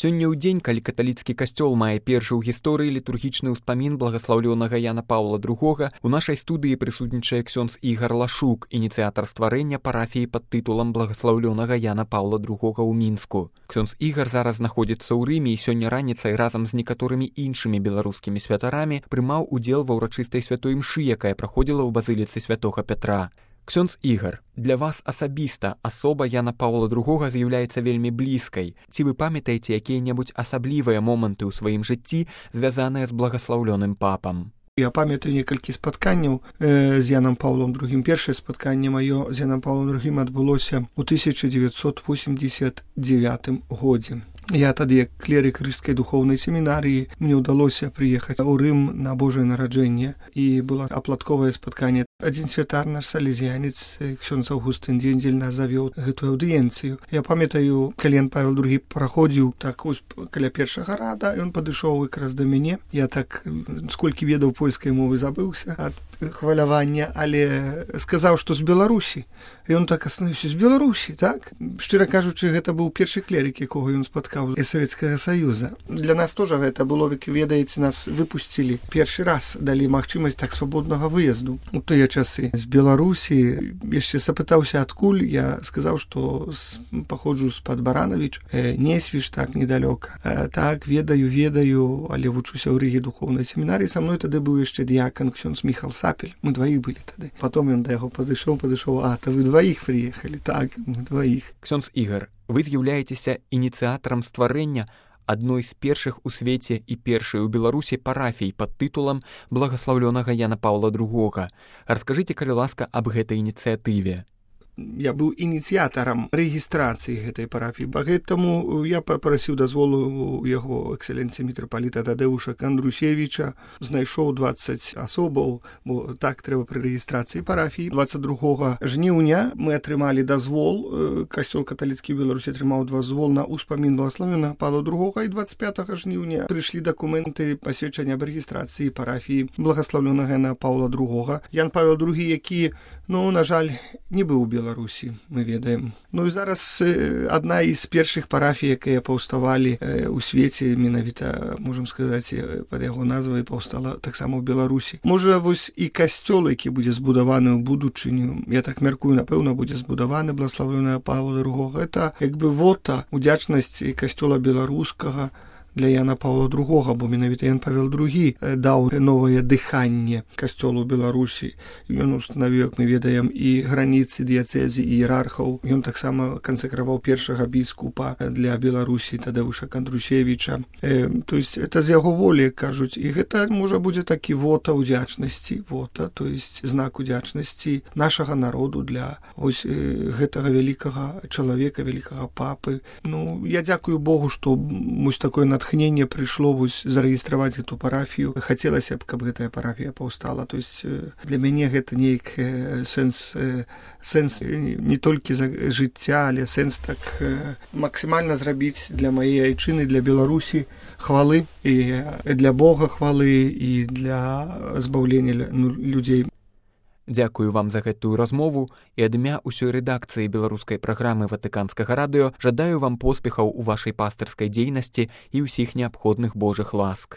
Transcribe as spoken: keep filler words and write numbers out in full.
Сёння ў дзень, калі каталіцкі касцёл мае першы ў гісторыі літургічны ўспамін благаслаўлёнага Яна Паўла другога, у нашай студыі прысутнічае ксёндз Ігар Лашук, ініцыятар стварэння парафіі пад тытулам благаслаўлёнага Яна Паўла другога ў Мінску. Ксёндз Ігар зараз знаходзіцца ў Рыме і сёння раніцай разам з некаторымі іншымі беларускімі святарамі прымаў удзел ва ўрачыстай святой імшы, якая праходзіла ў базыліцы святога Пятра. Ксёндз Ігар, для вас асабіста асоба Яна Паўла другога з'яўляецца вельмі блізкай. Ці вы памятаеце якія-небудзь асаблівыя моманты ў сваім жыцці, звязаныя з благаслаўлёным папам? Я памятаю некалькі спатканняў э, з Янам Паўлом другім. Першае спатканне маё з Янам Паўлом другім адбылося ў тысяча дзевяцьсот восемьдесят девятым годзе. Я тады, як клерык рыжскай духоўнай семінарыі, мне ўдалося прыехаць у Рым на Божае нараджэнне, і было апладковае спатканне. Адзін святар, наш салезіянец, ксёндз Аўгустын Дзендзель, нас завёў гэтую аўдыенцыю. Я памятаю, калі Ян Павел другі праходзіў так ось каля першага рада, ён падышоў якраз да мяне. Я так, сколькі ведаў польскай мовы, забыўся ад хвалявання, але сказаў, што з Беларусі. І ён так астановіўся: з Беларусі, так? Шчыра кажучы, гэта быў першы клерык, якога ён спаткаў з Савецкага Саюза. Для нас тоже гэта было, як ведаеце, нас выпусцілі першы раз, далі магчымасць так свабоднага выезду. У тыя часы з Беларусі яшчэ запытаўся, адкуль. Я сказаў, што паходжу з-пад Баранавіч, э, Несвіж, так, недалёка. Э, так, ведаю, ведаю, але вучуся ў Рыге духоўнай семінарыі. Са мной тады быў яшчэ дыякан ксёндз Міхал Сапель. Мы дваіх былі тады. Потом ён да яго падышоў, падышоў: а, то вы дваіх прыехалі? Так, мы дваіх. Ксёндз Ігар, вы з'яўляецеся ініцыятарам стварэння адной з першых у свеце і першай у Беларусі парафій пад тытулам благаслаўлёнага Яна Паўла другога. Раскажыце, калі ласка, аб гэтай ініцыятыве. Я быў ініцыятарам рэгістрацыі гэтай парафіі. Пагэтаму я папрасіў дазволу у яго эксцэленцыі мітрапаліта Тадэуша Кандрусевіча, знайшоў дваццаць асобаў, бо так трэба пры рэгістрацыі парафіі. дваццаць другога жніўня мы атрымалі дазвол, касцёл каталіцкі ў Беларусі атрымаў дазвол на ўспамін благаслаўлёнага Паўла другога, і дваццаць пятага жніўня прыйшлі дакументы пасведчання аб рэгістрацыі парафіі благаслаўлёнага Яна Паўла другога. Ян Павел другі, які, ну, на жаль, не быў у Беларусі, мы ведаем. Ну і зараз э, адна з першых парафій, якія паўставалі э, у свеце, менавіта, можам сказаць, пад яго назвай паўстала таксама ў Беларусі. Можа, вось і касцёл, які будзе збудаваны ў будучыню, я так мяркую, напэўна, будзе збудаваны благаслаўлёнага Паўла другога. Гэта як бы вота удзячнасці касцёла беларускага для Яна Паўла другога, бо менавіта Ян Павел другі даў новае дыханне касцёлу Беларусі. Ён устанавіў, як мы ведаем, і граніцы дыяцэзі і іерархаў. Ён таксама кансакраваў першага біскупа для Беларусі Тадэуша Кандрусевіча. Э, то есть это з яго волі, кажуць, і гэта можа будзе такі вота удзячнасці, вота, то есть знак удзячнасці нашага народу для ось э, гэтага вялікага чалавека, вялікага папы. Ну, я дзякую Богу, што вось такое натхненне прыйшло вось зарэгістраваць гэту парафію. Хацелася б, каб гэтая парафія паўстала. То есть для мяне гэта нейк сэнс, сэнс не толькі за жыцця, але сэнс так максімальна зрабіць для маей айчыны, для Беларусі хвалы, і для Бога хвалы, і для збаўлення людзей. Дзякую вам за гэтую размову, і ад імя ўсёй рэдакцыі беларускай праграмы Ватыканскага радыё жадаю вам поспехаў у вашай пастырскай дзейнасці і ўсіх неабходных Божых ласк.